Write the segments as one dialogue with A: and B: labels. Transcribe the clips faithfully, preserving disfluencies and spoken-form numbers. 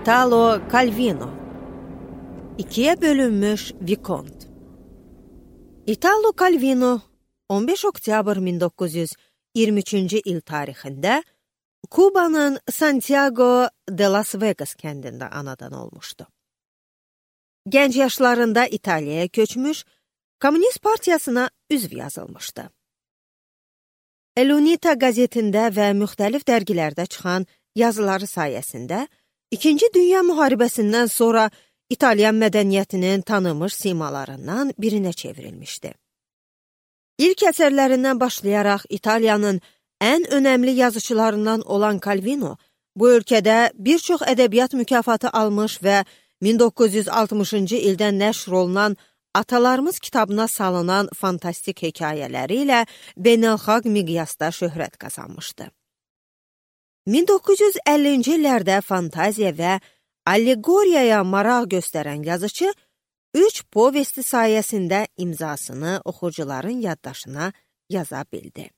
A: Italo Calvino. İkiye bölünmüş Vikont. Italo Calvino on beş oktyabr min doqquz yüz iyirmi üçüncü il tarixində Kubanın Santiago de Las Vegas kəndində anadan olmuşdu. Gənc yaşlarında İtaliyaya köçmüş, Komünist Partiyasına üzv yazılmışdı. El Unita qəzetində və müxtəlif dərgilərdə çıxan yazıları sayəsində İkinci Dünya müharibəsindən sonra İtalyan mədəniyyətinin tanınmış simalarından birinə çevrilmişdi. İlk əsərlərindən başlayaraq İtaliyanın ən önəmli yazıçılarından olan Calvino, bu ölkədə bir çox ədəbiyyat mükafatı almış və min doqquz yüz altmışıncı ildən nəşr olunan Atalarımız kitabına salınan fantastik hekayələri ilə beynəlxalq miqyasda şöhrət qazanmışdı. min doqquz yüz əllinci illərdə fantaziya və allegoriyaya maraq göstərən yazıcı, üç povesti sayəsində imzasını oxucuların yaddaşına yaza bildi.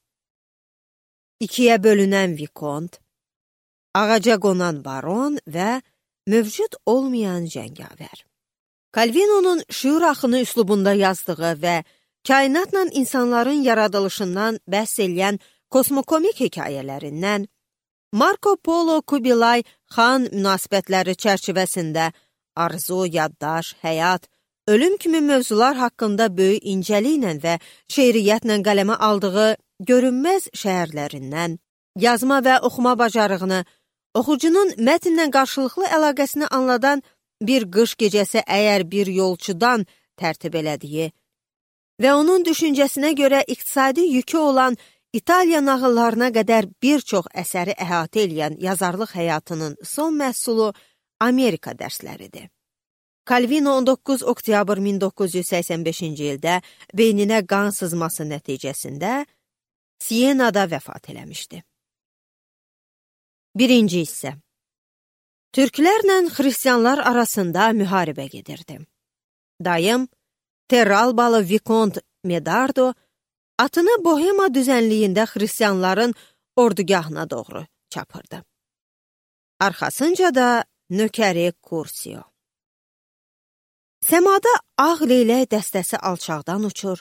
A: İkiyə bölünən Vikont, Ağaca qonan baron və mövcud olmayan cəngavər. Calvino'nun şüur axını üslubunda yazdığı və kainatla insanların yaradılışından bəhs eləyən kosmokomik hekayələrindən, Marco Polo Kubilay Xan münasibətləri çərçivəsində arzu, yaddaş, həyat, ölüm kimi mövzular haqqında böyük incəliklə və şeiriyyətlə qələmə aldığı görünməz şəhərlərindən, yazma və oxuma bacarığını, oxucunun mətnlə qarşılıqlı əlaqəsini anladan bir qış gecəsi əgər bir yolçudan tərtib elədiyi və onun düşüncəsinə görə iqtisadi yükü olan İtaliya nağıllarına qədər bir çox əsəri əhatə eləyən yazarlıq həyatının son məhsulu Amerika dərsləridir. Calvino on doqquz oktyabr min doqquz yüz səksən beşinci ildə beyninə qan sızması nəticəsində Sienada vəfat eləmişdi. Birinci hissə. Türklərlə xristianlar arasında müharibə gedirdi. Dayım, Terralbalı Vikont Medardo, atını Bohema düzənliyində xristianların ordugahına doğru çapırdı. Arxasınca da nökəri Kursio. Səmada ağ leylək dəstəsi alçaqdan uçur,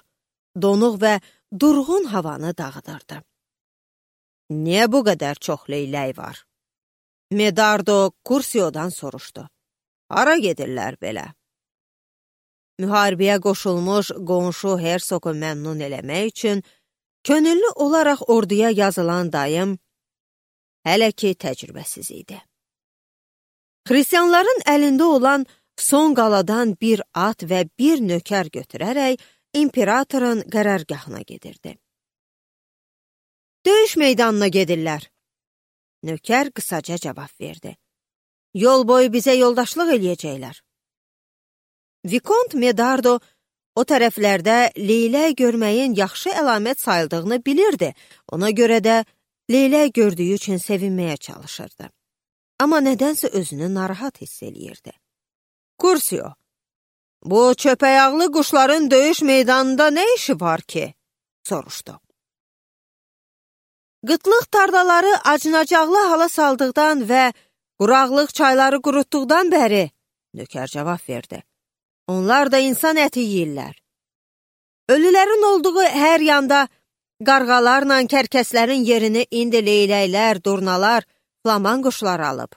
A: donuq və durğun havanı dağıdırdı. Niyə bu qədər çox leylək var? Medardo Kursio'dan soruşdu. Hara gedirlər belə? Müharibəyə qoşulmuş qonşu hersoqu məmnun eləmək üçün könüllü olaraq orduya yazılan dayım hələ ki təcrübəsiz idi. Xristianların əlində olan son qaladan bir at və bir nökər götürərək imperatorun qərargahına gedirdi. Döyüş meydanına gedirlər. Nökər qısaca cavab verdi. Yol boyu bizə yoldaşlıq eləyəcəklər. Vikont Medardo o tərəflərdə leylək görməyin yaxşı əlamət sayıldığını bilirdi. Ona görə də leylək gördüyü üçün sevinməyə çalışırdı. Amma nədənsə özünü narahat hiss eləyirdi. Kursio, bu çöpəyaqlı quşların döyüş meydanında nə işi var ki? Soruşdu. Qıtlıq tarlaları acınacaqlı hala saldıqdan və quraqlıq çayları qurutduqdan bəri, nökər cavab verdi. Onlar da insan əti yeyirlər. Ölülərin olduğu hər yanda qarğalarla kərkəslərin yerini indi leyləklər, durnalar, flaman quşlar alıb.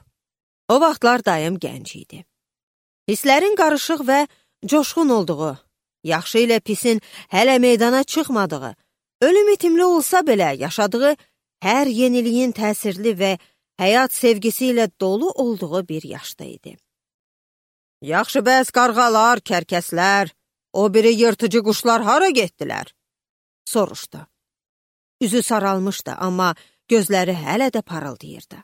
A: O vaxtlar dayım gənc idi. Hisslərin qarışıq və coşqun olduğu, yaxşı ilə pisin hələ meydana çıxmadığı, ölüm itimli olsa belə yaşadığı hər yeniliyin təsirli və həyat sevgisi ilə dolu olduğu bir yaşda idi. Yaxşı bəs qarğalar, kərkəslər, o biri yırtıcı quşlar hara getdilər? Soruşdu. Üzü saralmışdı, amma gözləri hələ də parıldayırdı.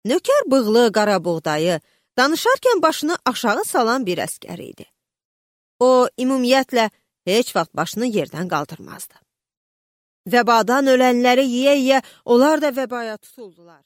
A: Nökər bığlı, qara buğdayı, danışarkən başını aşağı salan bir əskər idi. O, ümumiyyətlə, heç vaxt başını yerdən qaldırmazdı. Vəbadan ölənləri yiyə-yiyə onlar da vəbaya tutuldular.